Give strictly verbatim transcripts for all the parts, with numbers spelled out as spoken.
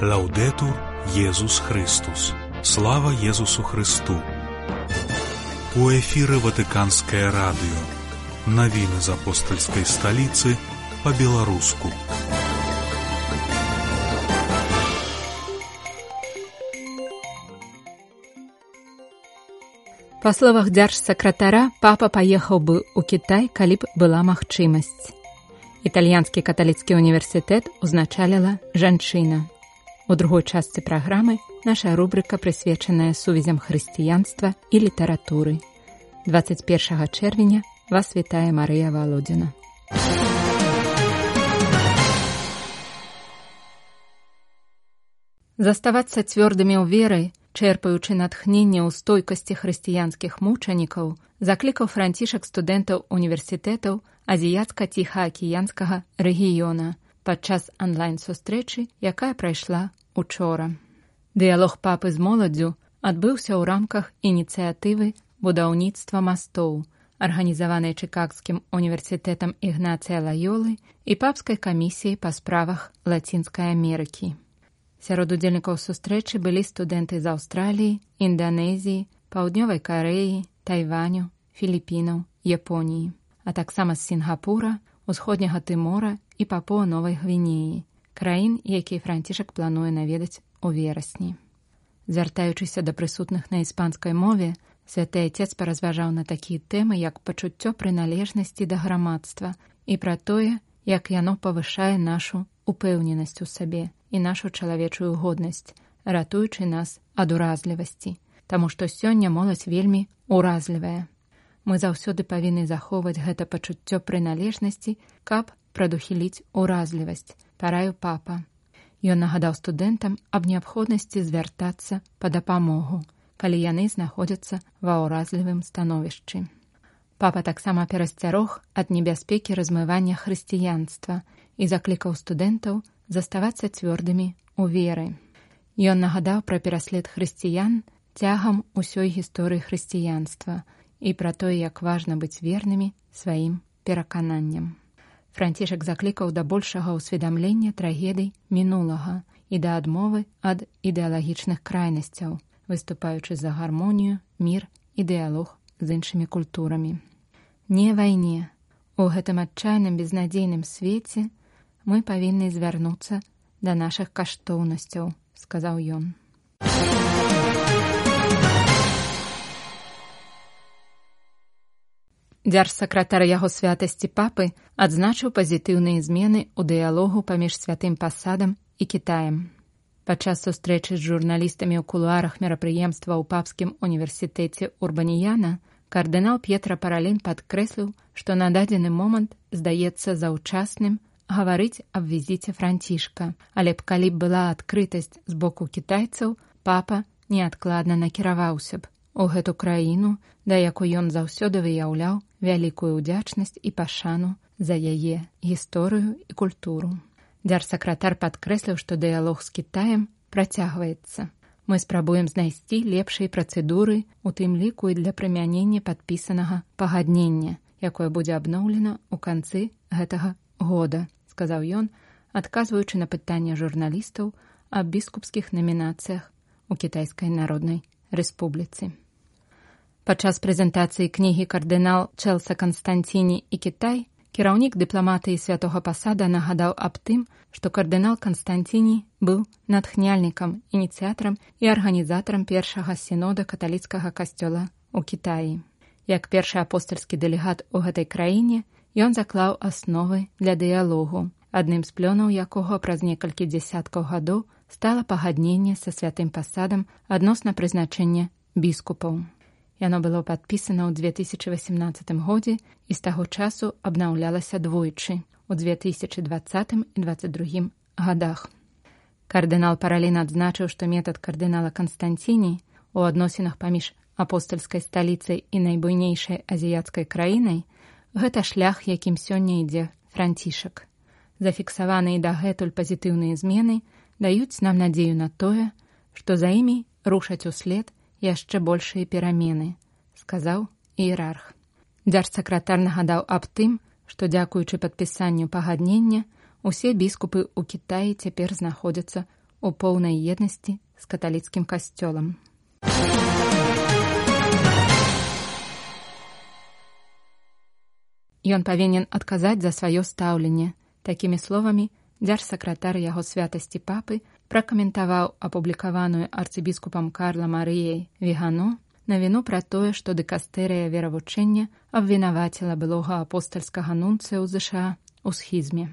Лаўдэтур Езус Христус. Слава Езусу Христу. У эфіры Ватыканскае радыё. Навіны з апостальскай сталіцы па-беларуску. Па словах дзяржсакратара, папа паехаў бы ў Кітай, калі б была магчымасць. Італьянскі каталіцкі універсітэт узначаліла жанчына. У другой частцы праграмы наша рубрыка, прысвечаная сувязям хрысціянства і літаратуры. дваццаць першага чэрвеня вас вітае Марыя Валодзіна. Заставацца цвёрдымі ў веры, чэрпаючы натхненне ў стойкасці хрысціянскіх мучанікаў, заклікаў Францішак студэнтаў універсітэтаў азіяцка-ціхаакіянскага рэгіёна падчас онлайн-сустрэчы, якая прайшла учора. Дыялог папы з моладдзю адбыўся ў рамках ініцыятывы будаўніцтва мастоў, арганізаванай Чыкагскім універсітэтам Ігнацыя Лайолы і папскай камісіяй па справах Лацінскай Амерыкі. Сярод удзельнікаў сустрэчы былі студэнты з Аўстраліі, Інданезіі, Паўднёвай Карэі, Тайваню, Філіпінаў, Японіі, а таксама з Сінгапура, Усходняга Тымора і Папуа-Новай Гвінеі, краін, якія Францішак плануе наведаць у верасні. Звяртаючыся да прысутных на іспанскай мове, святы Атец паразважаў на такія тэмы, як пачуццё прыналежнасці да грамадства і пра тое, як яно павышае нашу упэўненасць у сабе і нашу чалавечую годнасць, ратуючы нас ад уразлівасці, таму што сёння моладзь вельмі уразлівая. Мы заўсёды павінны захоўваць гэта пачуццё прыналежнасці, каб прадухіліць уразлівасць, параіў папа. Ён нагадаў студэнтам аб неабходнасці звяртацца па дапамогу, калі яны знаходзяцца ва ўразлівым становішчы. Папа таксама перасцярог ад небяспекі размывання хрысціянства і заклікаў студэнтаў заставацца цвёрдымі ў веры. Ён нагадаў пра пераслед хрысціян цягам усёй гісторыі хрысціянства і пра тое, як важна быць вернымі сваім перакананням. Францішак заклікаў да большага ўсведамлення трагедый мінулага і да адмовы ад ідэалагічных крайнасцяў, выступаючы за гармонію, мір і дыялог з іншымі культурамі. Не вайне. У гэтым адчайным безнадзейным свеце мы павінны звярнуцца да нашых каштоўнасцяў, сказаў ён. Дзяржсакратар яго святасці папы адзначыў пазітыўныя змены ў дыялогу паміж святым пасадам і Кітаем. Падчас сустрэчы з журналістамі ў кулуарах мерапрыемства ў папскім універсітэце Урбаніяна кардынал П'етра Паралін падкрэсліў, што на дадзены момант здаецца заўчасным гаварыць аб візіце Францішка, але б калі б была адкрытасць з боку кітайцаў, папа неадкладна накіраваўся б у гэту краіну, да якой ён заўсёды выяўляў вялікую ўдзячнасць і пашану за яе гісторыю і культуру. Дзяржсакратар падкрэсліў, што дыялог з Кітаем працягваецца. Мы спрабуем знайсці лепшыя працэдуры, у тым ліку і для прымянення падпісанага пагаднення, якое будзе абноўлена ў канцы гэтага года, сказаў ён, адказваючы на пытанне журналістаў аб біскупскіх намінацыях у Кітайскай Народнай Рэспубліцы. Падчас прэзентацыі кнігі «Кардынал Чэлса Канстанціні і Кітай» кіраўнік дыпламатыі святога пасада нагадаў аб тым, што кардынал Канстанціні быў натхняльнікам, ініцыятарам і арганізатарам першага сінода каталіцкага касцёла ў Кітаі. Як першы апостальскі дэлегат у гэтай краіне, ён заклаў асновы для дыялогу, адным з плёнаў якога праз некалькі дзясяткаў гадоў стала пагадненне са святым пасадам адносна прызначэння біскупаў. Яно было падпісана ў дзве тысячы васямнаццатым годзе і з таго часу абнаўлялася двойчы у дзве тысячы дваццатым і дваццаць другім гадах. Кардынал Паралін адзначыў, што метад кардынала Канстанціні у адносінах паміж апостальскай сталіцай і найбуйнейшай азіяцкай краінай гэта шлях, якім сёння ідзе Францішак. Зафіксаваныя дагэтуль пазітыўныя змены даюць нам надзею на тое, што за імі рушаць услед яшчэ большыя перамены, сказаў іерарх. Дзяржсакратар нагадаў аб тым, што дзякуючы падпісанню пагаднення усе біскупы ў Кітаі цяпер знаходзяцца у поўнай еднасці з каталіцкім касцёлам. Ён павінен адказаць за сваё стаўленне. Такімі словамі дзяржсакратар яго святасці папы пракаментаваў апублікаваную арцыбіскупам Карла Марыяй Вігано навіну пра тое, што дыкастэрыя веравучэння абвінаваціла былога апостальскага нунцыя ў ЗША ў схізме.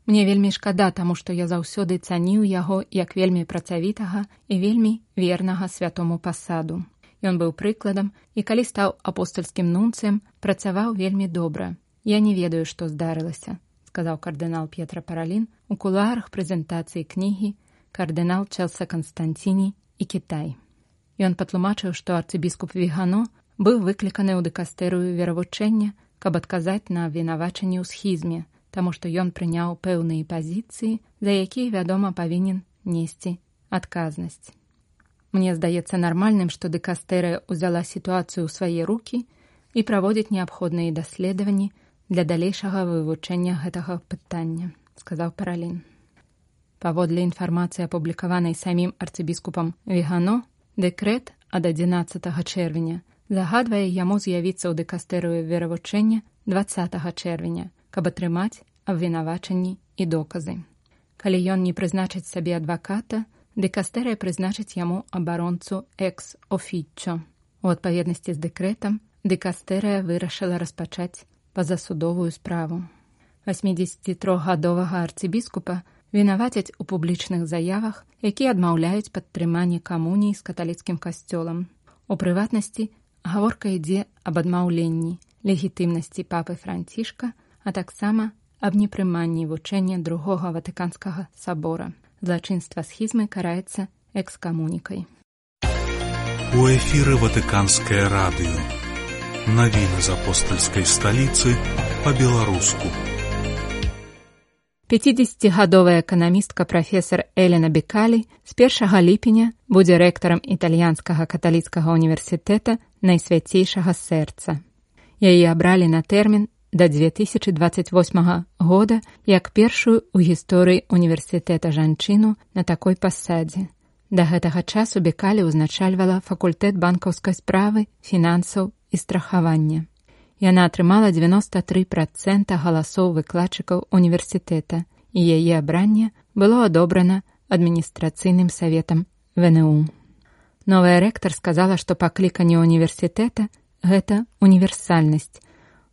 Мне вельмі шкада, таму што я заўсёды цаніў яго як вельмі працавітага і вельмі вернага святому пасаду. Ён быў прыкладам і калі стаў апостальскім нунцыем, працаваў вельмі добра. Я не ведаю, што здарылася, сказаў кардынал П'етра Паралін у кулуарах прэзентацыі кнігі «Кардынал Челса Константіні і Кітай». Ён патлумачыў, што арцыбіскуп Вігано быў выкліканы ў дыкастэрыю веравучэння, каб адказаць на абвінавачанні ў схізме, таму што ён прыняў пэўныя пазіцыі, за якія, вядома, павінен несці адказнасць. Мне здаецца нармальным, што дыкастэрыя ўзяла сітуацыю ў свае рукі і праводзіць неабходныя даследаванні для далейшага вывучэння гэтага пытання, сказаў Паралін. Паводле інфармацыі, апублікаванай самім арцыбіскупам Вігано, дэкрэт ад адзінаццатага чэрвеня загадвае яму з'явіцца ў дыкастэрыю веравучэння дваццатага чэрвеня, каб атрымаць абвінавачанні і доказы. Калі ён не прызначыць сабе адваката, дыкастэрыя прызначыць яму абаронцу экс-офіччо. У адпаведнасці з дэкрэтам дыкастэрыя вырашыла распачаць пазасудовую справу. васьмідзесяцітрохгадовага арцыбіскупа вінавацяць у публічных заявах, якія адмаўляюць падтрыманне камуніі з каталіцкім касцёлам. У прыватнасці, гаворка ідзе аб адмаўленні легітымнасці папы Францішка, а таксама аб непрыманні вучэння другога Ватыканскага сабора. Злачынства схізмы караецца экскамунікай. У эфіры Ватыканскае радыё. Навіны з апостальскай сталіцы па-беларуску. пяцідзесяцігадовая эканамістка прафесар Элена Бекалі з першага ліпеня будзе рэктарам італьянскага каталіцкага універсітэта Найсвяцейшага сэрца. Яе абралі на тэрмін да дзве тысячы дваццаць восьмага года як першую ў гісторыі універсітэта жанчыну на такой пасадзе. Да гэтага часу Бекалі ўзначальвала факультэт банкаўскай справы, фінансаў і страхавання. Яна атрымала дзевяноста тры працэнты галасоў выкладчыкаў універсітэта, і яе абранне было адобрана адміністрацыйным саветам ВНУ. Новая рэктар сказала, што пакліканне універсітэта – гэта універсальнасць.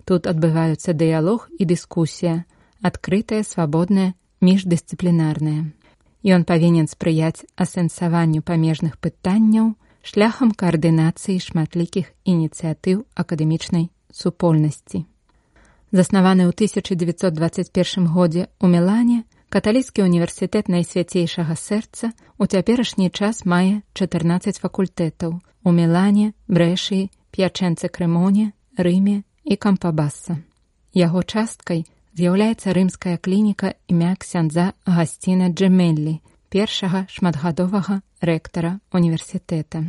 Тут адбываюцца дыялог і дыскусія, адкрытая, свабодная, міждысцыплінарная. Ён павінен спрыяць асэнсаванню памежных пытанняў шляхам каардынацыі шматлікіх ініцыятыў акадэмічнай супольнасці. Заснаваны ў тысяча дзевяцьсот дваццаць першым годзе ў Мілане, каталіцкі універсітэт Найсвяцейшага сэрца у цяперашні час мае чатырнаццаць факультэтаў у Мілане, Брэшыі, П'ячэнцы-Крэмоне, Рыме і Кампабасса. Яго часткай з'яўляецца рымская клініка імя ксяндза Агасціна Джемеллі, першага шматгадовага рэктара універсітэта.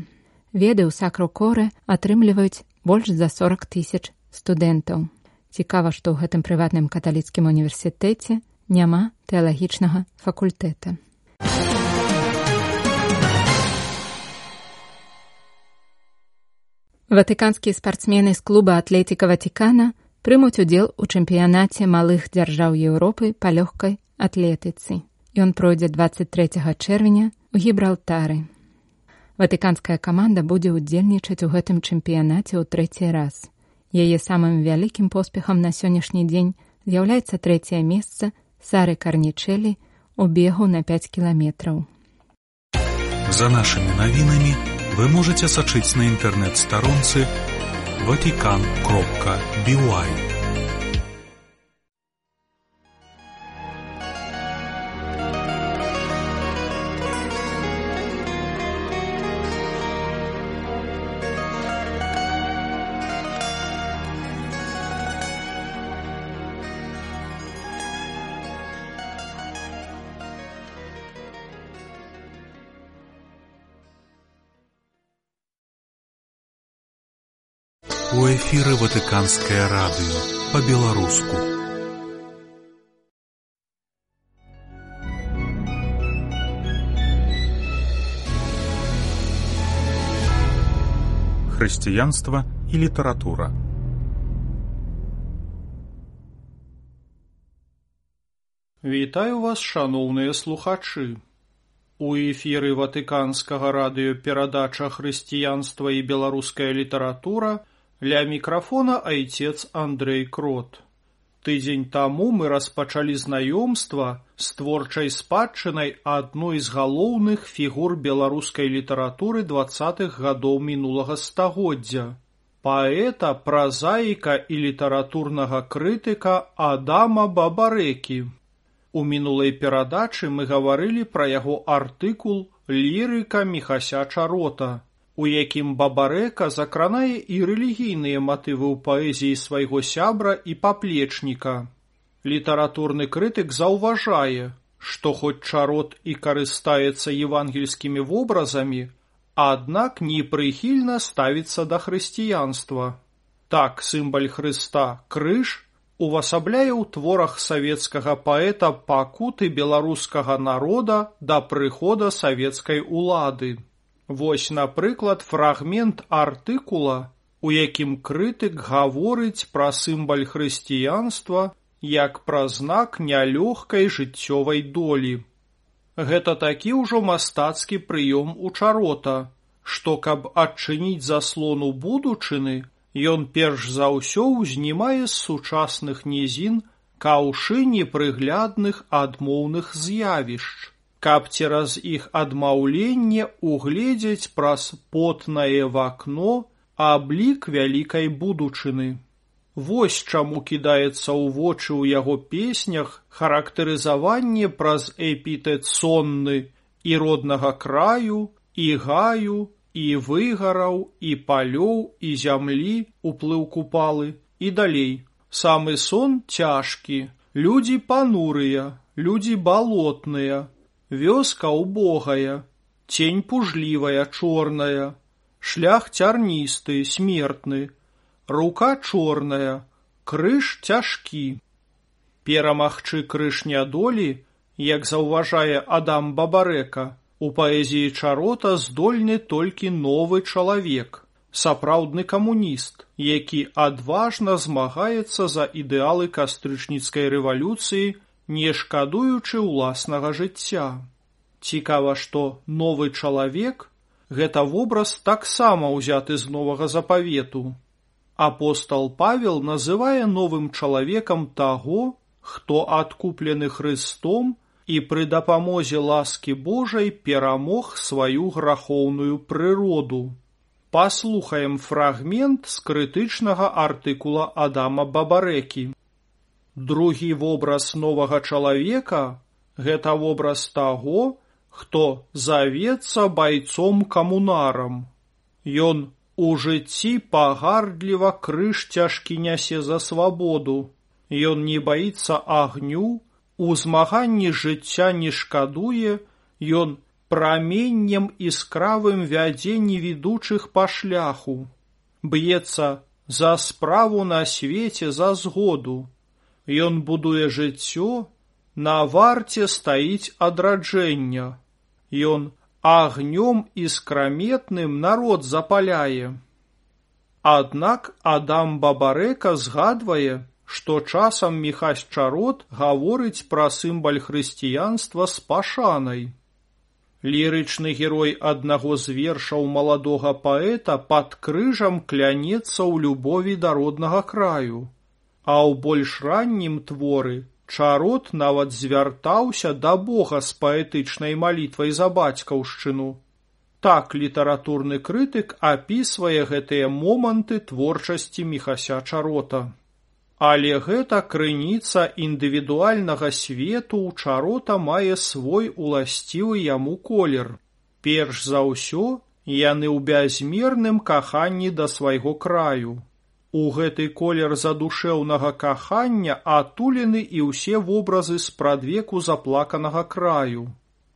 Веды ў Сакру-Коре атрымліваюць больш за сорак тысяч студэнтаў. Цікава, што ў гэтым прыватным каталіцкім універсітэце няма тэалагічнага факультэта. Ватыканскія спартсмены з клуба Атлетіка Ватикана прымуць удзел у чэмпіянаце малых дзяржаў Еўропы па лёгкай атлетыцы. Ён пройдзе дваццаць трэцяга чэрвеня ў Гібралтары. Ватыканская каманда будзе ўдзельнічаць у гэтым чэмпіянаце ў трэці раз. Яе самым вялікім поспехам на сённяшні дзень з'яўляецца трэцяе месца Сары Карнічэлі ў бегу на пяць кіламетраў. За нашымі навінамі вы можаце сачыць на інтэрнэт-старонцы ватикан кропка би уай. У эфіры Ватыканскае радыё па-беларуску. хрысціянства і літаратура. Вітаю вас, шаноўныя слухачы. У эфіры Ватыканскага радыё перадача «Хрысціянства і беларуская літаратура», ля мікрафона айцец Андрэй Крот. Тыдзень таму мы распачалі знаёмства з творчай спадчынай адной з галоўных фігур беларускай літаратуры дваццатых гадоў мінулага стагоддзя – паэта, празаіка і літаратурнага крытыка Адама Бабарэкі. У мінулай перадачы мы гаварылі пра яго артыкул «Лірыка Міхася Чарота», у якім Бабарэка закранае і рэлігійныя матывы ў паэзіі свайго сябра і паплечніка. Літаратурны крытык заўважае, што хоць Чарот і карыстаецца евангельскімі вобразамі, аднак непрыхільна ставіцца да хрысціянства. Так, сімвал Хрыста, крыж, увасабляе ў творах савецкага паэта пакуты беларускага народа да прыхода савецкай улады. Вось, напрыклад, фрагмент артыкула, у якім крытык гаворыць пра сімвал хрысціянства як пра знак нялёгкай жыццёвай долі. Гэта такі ўжо мастацкі прыём у Чарота, што, каб адчыніць заслону будучыны, ён перш за ўсё ўзнімае з сучасных нізін каўшы непрыглядных адмоўных з'явішч, каб цераз іх адмаўленне угледзець праз потнае вакно аблік вялікай будучыны. Вось чаму кідаецца ў вочы ў яго песнях характарызаванне праз эпітэт сонны і роднага краю, і гаю, і выгараў, і палёў, і зямлі, уплыў купалы, і далей. Самы сон цяжкі, людзі панурыя, людзі балотныя, вёска убогая, цень пужлівая, чорная, шлях цярністы, смертны, рука чорная, крыж цяжкі. Перамагчы крыж нядолі, як заўважае Адам Бабарэка, у паэзіі Чарота здольны толькі новы чалавек, сапраўдны камуніст, які адважна змагаецца за ідэалы кастрычніцкай рэвалюцыі, не шкадуючы ўласнага жыцця. Цікава, што новы чалавек – гэта вобраз таксама ўзяты з новага запавету. Апостал Павел называе новым чалавекам таго, хто адкуплены Хрыстом і пры дапамозе ласкі Божай перамог сваю грахоўную прыроду. Паслухаем фрагмент з крытычнага артыкула Адама Бабарэкі. Другі вобраз новага чалавека – гэта вобраз таго, хто завецца байцом-камунарам. Ён у жыцці пагардліва крыж цяжкі нясе за свабоду. Ён не баіцца агню, у змаганні жыцця не шкадуе, ён праменнем іскравым вядзе невідучых па шляху. Б'ецца за справу на свеце, за згоду. Ён будуе жыццё, на варце стаіць адраджэння. Ён агнём іскраметным народ запаляе. Аднак Адам Бабарэка згадвае, што часам Міхась Чарот гаворыць пра сімвал хрысціянства з пашанай. Лірычны герой аднаго з вершаў маладога паэта пад крыжам клянецца ў любові да роднага краю, а ў больш раннім творы Чарот нават звяртаўся да Бога з паэтычнай малітвай за бацькаўшчыну. Так літаратурны крытык апісвае гэтыя моманты творчасці Міхася Чарота. Але гэта крыніца індывідуальнага свету ў Чарота мае свой уласцівы яму колер. Перш за ўсё, яны ў бязмерным каханні да свайго краю. У гэты колер задушэўнага кахання атулены і ўсе вобразы спрадвеку заплаканага краю.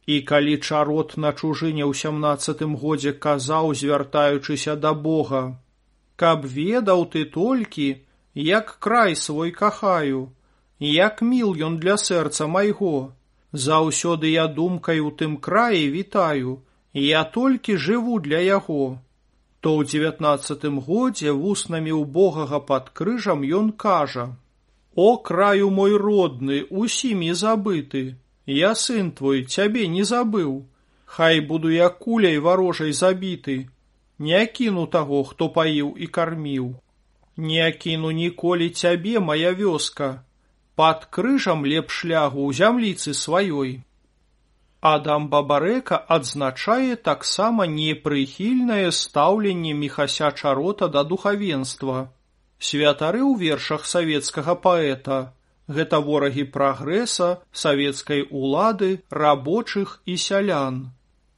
І калі Чарот на чужыне ў сямнаццатым годзе казаў, звяртаючыся да Бога: «Каб ведаў ты толькі, як край свой кахаю, як міл ён для сэрца майго, заўсёды я думкай у тым краі вітаю, я толькі жыву для яго. то ў дзевятнаццатым годзе вуснамі ўбогага пад крыжам ён кажа: «О, краю мой родны, усімі забыты, я, сын твой, цябе не забыў. Хай буду я куляй варожай забіты, не акіну таго, хто паіў і карміў. Не акіну ніколі цябе, мая вёска, пад крыжам лепш лягу ў зямліцы сваёй». Адам Бабарэка адзначае таксама непрыхільнае стаўленне Міхася Чарота да духавенства. Святары ў вершах савецкага паэта – гэта ворагі прагрэса, савецкай улады, рабочых і сялян.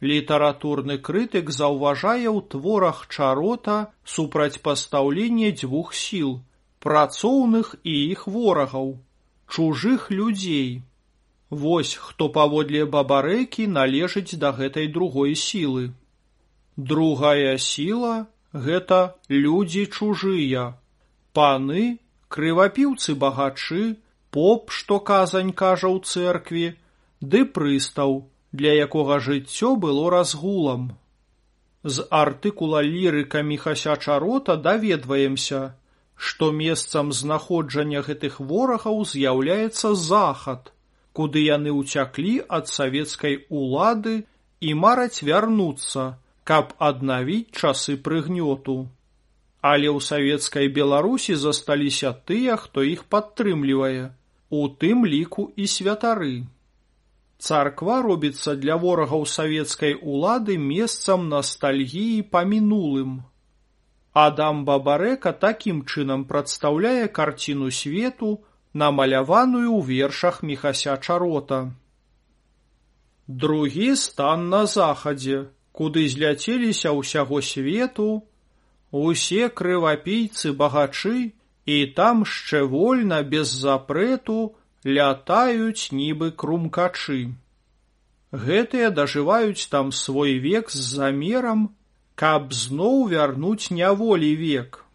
Літаратурны крытык заўважае ў творах Чарота супрацьпастаўленне дзвюх сіл – працоўных і іх ворагаў, чужых людзей. Вось хто паводле Бабарэкі належыць да гэтай другой сілы. Другая сіла – гэта людзі чужыя, паны, крывапіўцы-багачы, поп, што казань кажа ў цэркві, ды прыстаў, для якога жыццё было разгулам. З артыкула лірыка Міхася Чарота даведваемся, што месцам знаходжання гэтых ворагаў з'яўляецца захад, куды яны ўцяклі ад савецкай улады і мараць вярнуцца, каб аднавіць часы прыгнёту. Але ў савецкай Беларусі засталіся тыя, хто іх падтрымлівае, у тым ліку і святары. Царква робіцца для ворагаў савецкай улады месцам настальгіі па мінулым. Адам Бабарэка такім чынам прадстаўляе карціну свету, намаляваную ў вершах Міхася Чарота. Другі стан на захадзе, куды зляцеліся ўсяго свету, усе крывапійцы-багачы, і там шчэ вольна, без запрэту, лятаюць нібы крумкачы. Гэтыя дажываюць там свой век з замерам, каб зноў вярнуць няволі век.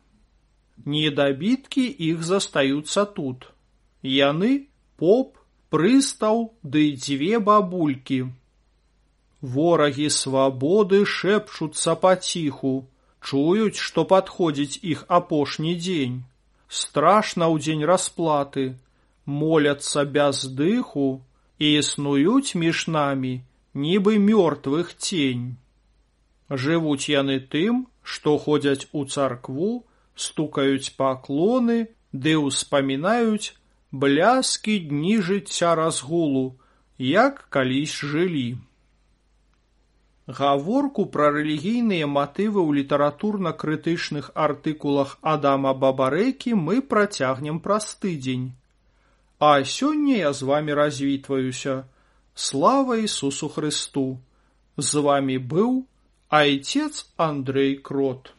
Недабіткі іх застаюцца тут. Яны – поп, прыстаў ды дзве бабулькі. Ворагі свабоды шэпчуцца паціху, чуюць, што падходзіць іх апошні дзень. Страшна ў дзень расплаты, моляцца без дыху і існуюць між намі, нібы мёртвых цень. Жывуць яны тым, што ходзяць у царкву, стукаюць паклоны ды ўспамінаюць бляскі дні жыцця разгулу, як калісь жылі. Гаворку пра рэлігійныя матывы ў літаратурна-крытычных артыкулах Адама Бабарэкі мы працягнем праз тыдзень. А сёння я з вамі развітваюся. Слава Ісусу Хрысту! З вамі быў айцец Андрэй Крот.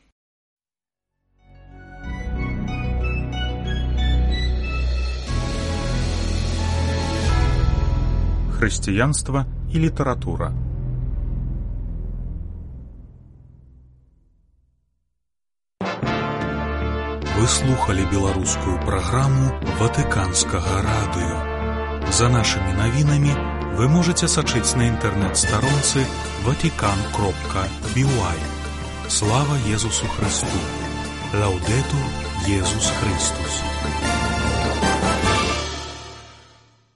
Христианство и литература. Вы слухали беларускую праграму Ватыканскага радыё. За нашымі навінамі вы можете сачыць на інтэрнэт-старонцы ватикан кропка би уай. Слава Езусу Христу! Лаудетур Езус Христус!